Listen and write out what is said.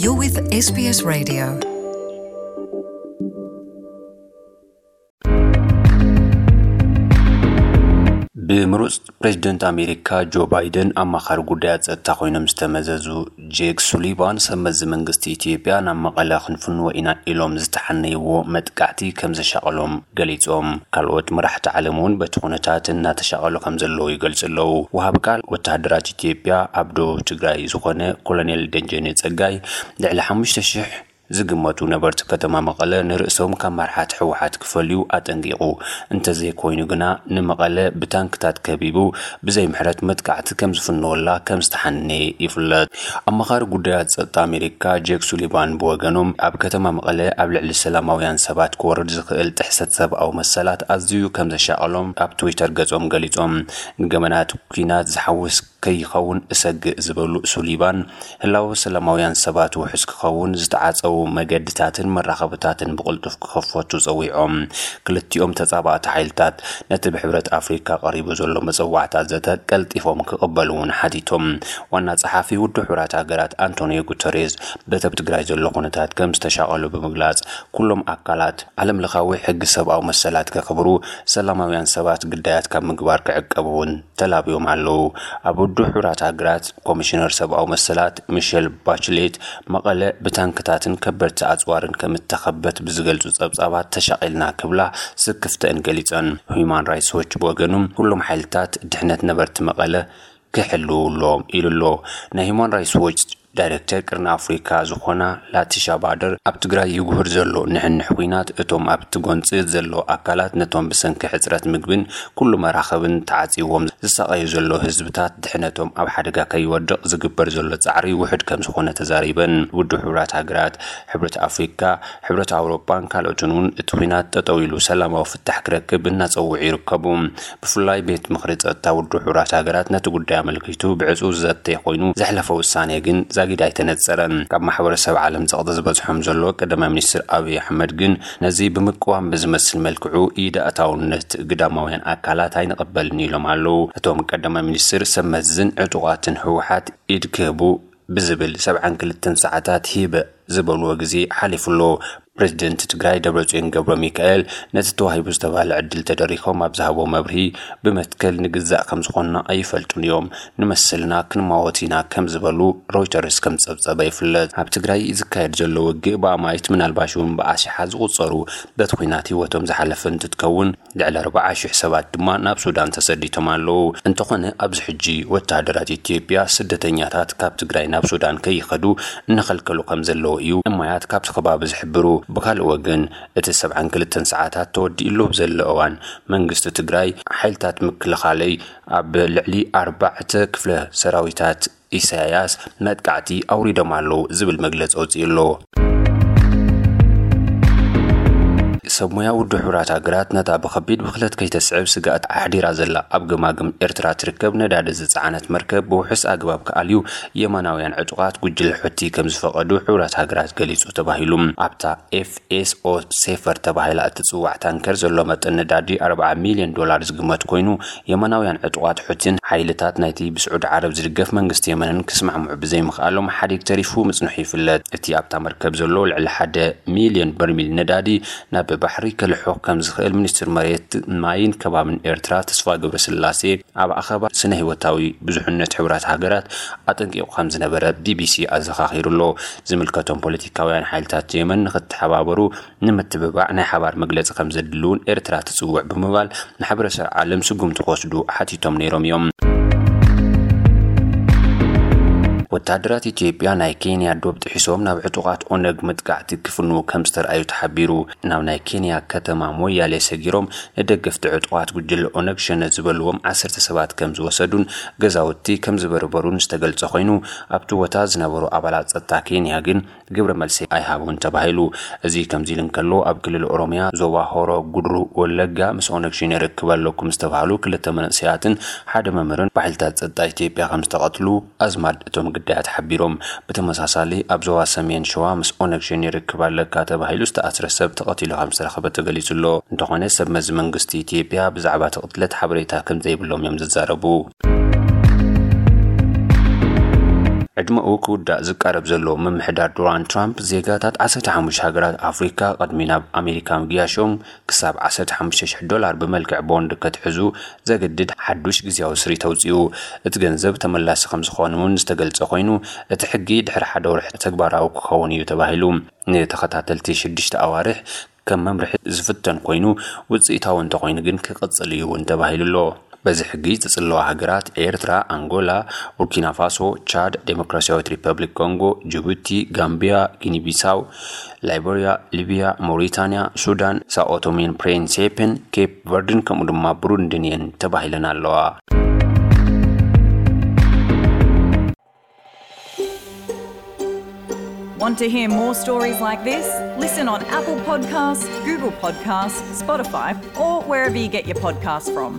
You're with S B S Radio. ብምሩጽ ፕሬዚደንት ኣሜሪካ ጆ ባይደን ኣማኻሪ ጉዳያት ጸጥታ ኮይኖም ዝተመዘዙ ጄክ ሱሊቫን፣ ሰብ መዚ መንግስቲ ኢትዮጵያ ናብ መቐለ ክንፍንዎ ኢና ኢሎም ዝተሓነይዎ መጥቃዕቲ ከም ዘሻቐሎም ገሊጾም። ካልኦት መራሕቲ ዓለም እውን በቲ ኩነታት እናተሻቐሉ ከም ዘለዉ ይገልጹ ኣለዉ። ወሃቢ ቃል ወተሃደራት ኢትዮጵያ ኣብ ደቡብ ትግራይ ዝኾነ ኮሎኔል ደጀኔ ጸጋይ፣ ልዕሊ ሓሙሽተ ሽሕ ዝግመቱ ነበርቲ ከተማ መቐለ ንርእሶም ካብ መራሕቲ ህወሓት ክፈልዩ ኣጠንቂቑ። እንተዘይኮይኑ ግና፣ ንመቐለ ብታንክታት ከቢቡ ብዘይ ምሕረት መጥቃዕቲ ከም ዝፍንወላ ከም ዝተሓነየ ይፍለጥ። ኣማኻሪ ጉዳያት ጸጥታ ኣሜሪካ ጄክ ሱሊቫን ብወገኖም፣ ኣብ ከተማ መቐለ ኣብ ልዕሊ ሰላማውያን ሰባት ክወርድ ዝኽእል ጥሕሰት ሰብኣዊ መሰላት ኣዝዩ ከም ዘሻቐሎም ኣብ ትዊተር ገጾም ገሊጾም። ንገበናት ኲናት ዝሓውስ ከይኸውን እሰግእ ዝበሉ ሱሊቫን፣ ህላወ ሰላማውያን ሰባት ውሑስ ክኸውን ዝተዓጸዉ መገድታትን መራኸብታትን ብቕልጡፍ ክኸፈቱ ጸዊዖም። ክልቲኦም ተጻባእቲ ሓይልታት ነቲ ብሕብረት ኣፍሪካ ቀሪቡ ዘሎ መጸዋዕታ ዘተ ቀልጢፎም ክቕበሉ እውን ሓቲቶም። ዋና ጸሓፊ ውድብ ሕቡራት ሃገራት ኣንቶኒዮ ጉተሬዝ፣ በቲ ኣብ ትግራይ ዘሎ ኩነታት ከም ዝተሻቐሉ ብምግላጽ፣ ኩሎም ኣካላት ዓለም ለኻዊ ሕጊ ሰብኣዊ መሰላት ከኽብሩ፣ ሰላማውያን ሰባት ግዳያት ካብ ምግባር ክዕቀቡ እውን ተላብዮም ኣለዉ። ኣብ ውድብ ሕቡራት ሃገራት ኮሚሽነር ሰብኣዊ መሰላት ሚሸል ባችሌት፣ መቐለ ብታንክታትን ከበድቲ ኣጽዋርን ከም እተኸበት ብዝገልጹ ጸብጻባት ተሻቒልና ክብላ ስክፍተአን ገሊጸን። ሁማን ራይትስ ዎች ብወገኑ፣ ኩሎም ሓይልታት ድሕነት ነበርቲ መቐለ ክሕልዉ ኣለዎም ኢሉ ኣሎ። ናይ ሁማን ራይትስ ዎች ዳይሬክተር ቅርኒ ኣፍሪካ ዝኾና ላቲሻ ባደር፣ ኣብ ትግራይ ይጉህር ዘሎ ንሕንሕ ኲናት፣ እቶም ኣብቲ ጎንፂ ዘሎ ኣካላት ነቶም ብሰንኪ ሕፅረት ምግብን ኩሉ መራኸብን ተዓፂዎም ዝሳቐዩ ዘሎ ህዝብታት ድሕነቶም ኣብ ሓደጋ ከይወድቕ ዝግበር ዘሎ ጻዕሪ ውሑድ ከም ዝኾነ ተዛሪበን። ውድብ ሕቡራት ሃገራት፣ ሕብረት ኣፍሪካ፣ ሕብረት ኣውሮጳን ካልኦትን እውን እቲ ኲናት ጠጠው ኢሉ ሰላማዊ ፍታሕ ክረክብ እናጸውዑ ይርከቡ። ብፍላይ ቤት ምኽሪ ጸጥታ ውድብ ሕቡራት ሃገራት ነቲ ጉዳይ ኣመልኪቱ ብዕጹው ዝዘተ ኮይኑ፣ ዘሕለፈ ውሳኔ ግን ዛጊድ ኣይተነጸረን። ካብ ማሕበረሰብ ዓለም ጸቕጢ ዝበጽሖም ዘሎ ቀዳማይ ሚኒስትር ኣብይ ኣሕመድ ግን፣ ነዚ ብምቅዋም ብዝመስል መልክዑ ኢድ ኣእታውነት ግዳማውያን ኣካላት ኣይንቕበልን ኢሎም ኣለዉ። እቶም ቀዳማይ ሚኒስትር፣ ሰብ መዝን ዕጡቓትን ህወሓት ኢድ ክህቡ ብዝብል ሰብዓን ክልተን ሰዓታት ሂበ ዝበልዎ ግዜ ሓሊፉ ኣሎ። ፕሬዚደንት ትግራይ ደብረጽዮን ገብረ ሚካኤል፣ ነቲ ተዋሂቡ ዝተባህለ ዕድል ተደሪኾም ኣብ ዝሃቦ መብርሂ፣ ብመትከል ንግዛእ ከም ዝኾንና ኣይፈልጡን እዮም፣ ንመስልና ክንማወት ኢና ከም ዝበሉ ሮይተርስ ከም ጸብጸበ ይፍለጥ። ኣብ ትግራይ ዝካየድ ዘሎ ውግእ ብኣማኢት፣ ምናልባሽ እውን ብኣሽሓት ዝቑጸሩ በቲ ኲናት ህይወቶም ዝሓለፈ እንትትከውን፣ ልዕሊ ኣርባዓ ሽሕ ሰባት ድማ ናብ ሱዳን ተሰዲቶም ኣለዉ። እንተኾነ፣ ኣብዚ ሕጂ ወተሃደራት ኢትዮጵያ ስደተኛታት ካብ ትግራይ ናብ ሱዳን ከይኸዱ እናኸልከሉ ከም ዘለዉ እዩ እማያት ካብቲ ከባቢ ዝሕብሩ። ብኻልእ ወገን፣ እቲ ሰብዓን ክልተን ሰዓታት ተወዲኡ ኣሎ ኣብ ዘሎ እዋን፣ መንግስቲ ትግራይ ሓይልታት ምክልኻለይ ኣብ ልዕሊ ኣርባዕተ ክፍለ ሰራዊታት ኢሳያስ መጥቃዕቲ ኣውሪዶም ኣለዉ ዝብል መግለጺ ኣውጺኡ ኣሎ። ሰብ ሞያ ውድብ ሕቡራት ሃገራት፣ ነታ ብኸቢድ ብኽለት ከይተስዕብ ስግኣት ኣሕዲራ ዘላ ኣብ ገማግም ኤርትራ ትርከብ ነዳዲ ዝጸዓነት መርከብ ብውሑስ ኣግባብ ክኣልዩ የመናውያን ዕጡቓት ጉጅለ ሑቲ ከም ዝፈቐዱ ሕቡራት ሃገራት ገሊጹ ተባሂሉ። ኣብታ ኤፍ ኤስ ኦ ሴፈር ተባሂላ እትጽዋዕ ታንከር ዘሎ መጠን ነዳዲ ኣርብዓ ሚልዮን ዶላር ዝግመት ኮይኑ፣ የመናውያን ዕጡቓት ሑቲን ሓይልታት ናይቲ ብስዑዲ ዓረብ ዝድገፍ መንግስቲ የመንን ክስማዕምዑ ብዘይምኽኣሎም ሓዲግ ተሪፉ ምጽንሑ ይፍለጥ። እቲ ኣብታ መርከብ ዘሎ ልዕሊ ሓደ ሚልዮን በርሚል ነዳዲ ናብ ባሕሪ ከልሕኽ ከም ዝኽእል ሚኒስትር መሬት፣ ማይን ከባብን ኤርትራ ተስፋ ገብረስላሴ ኣብ ኣኼባ ስነ ህይወታዊ ብዙሕነት ሕቡራት ሃገራት ኣጠንቂቑ ከም ዝነበረ ቢ ቢ ሲ ኣዘኻኺሩ ኣሎ። ዝምልከቶም ፖለቲካውያን ሓይልታት የመን ንክተሓባበሩ ንምትብባዕ ናይ ሓባር መግለጺ ከም ዘድሊ እውን ኤርትራ ትጽውዕ ብምባል፣ ማሕበረሰብ ዓለም ስጉምቲ ክወስዱ ሓቲቶም ነይሮም እዮም። ወተሃደራት ኢትዮጵያ ናይ ኬንያ ዶብ ጥሒሶም ናብ ዕጡቓት ኦነግ መጥቃዕቲ ክፍንዉ ከም ዝተርኣዩ ተሓቢሩ። ናብ ናይ ኬንያ ከተማ ሞያሌ ሰጊሮም ንደገፍቲ ዕጡቓት ጉጅለ ኦነግ ሸነ ዝበልዎም ዓሰርተ ሰባት ከም ዝወሰዱን ገዛውቲ ከም ዝበርበሩን ዝተገልጸ ኮይኑ፣ ኣብቲ ቦታ ዝነበሩ ኣባላት ጸጥታ ኬንያ ግን ግብረ መልሲ ኣይሃቡን ተባሂሉ። እዚ ከምዚ ኢሉ እንከሎ፣ ኣብ ክልል ኦሮሚያ ዞባ ሆሮ ጉድሩ ወለጋ ምስ ኦነግ ሸኔ ርክብ ኣለኩም ዝተባህሉ ክልተ መንእሰያትን ሓደ መምህርን ብሓይልታት ጸጥታ ኢትዮጵያ ከም ዝተቐትሉ ኣዝማድ እቶም ግዳያት ሓቢሮም። ብተመሳሳሊ፣ ኣብ ዞባ ሰሜን ሸዋ ምስ ኦነግ ሸኔ ርክብ ኣለካ ተባሂሉ ዝተኣስረ ሰብ ተቐቲሉ ከም ዝተረኸበ ተገሊጹ ኣሎ። እንተኾነ፣ ሰብ መዚ መንግስቲ ኢትዮጵያ ብዛዕባ እቲ ቅትለት ሓበሬታ ከም ዘይብሎም እዮም ዝዛረቡ። ዕድመኡ ክውዳእ ዝቃረብ ዘሎ ምምሕዳር ዶናልድ ትራምፕ፣ ዜጋታት ዓሰርተ ሓሙሽተ ሃገራት ኣፍሪካ ቅድሚ ናብ ኣሜሪካ ምግያሾም ክሳብ ዓሰርተ ሓሙሽተ ሽሕ ዶላር ብመልክዕ ቦንድ ከትሕዙ ዘግድድ ሓዱሽ ግዜያዊ ስሪት ኣውፂኡ። እቲ ገንዘብ ተመላሲ ከም ዝኾን እውን ዝተገልጸ ኮይኑ፣ እቲ ሕጊ ድሕሪ ሓደ ወርሒ ተግባራዊ ክኸውን እዩ ተባሂሉ። ንተኸታተልቲ ሽዱሽተ ኣዋርሕ ከም መምርሒ ዝፍተን ኮይኑ፣ ውፅኢታዊ እንተኾይኑ ግን ክቕፅል እዩ እውን ተባሂሉ ኣሎ። በዚ ሕጊ ዝፅለዋ ሃገራት ኤርትራ፣ ኣንጎላ፣ ቡርኪና ፋሶ፣ ቻድ፣ ዴሞክራሲያዊት ሪፐብሊክ ኮንጎ፣ ጅቡቲ፣ ጋምቢያ፣ ጊኒ ቢሳው፣ ላይበርያ፣ ሊብያ፣ ሞሪታንያ፣ ሱዳን፣ ሳኦቶሜን ፕሪንሴፕን፣ ኬፕ ቨርድን ከምኡ ድማ ብሩንድን እየን ተባሂለን ኣለዋ። Want to hear more stories like this? Listen on Apple Podcasts, Google Podcasts, Spotify, or wherever you get your podcasts from.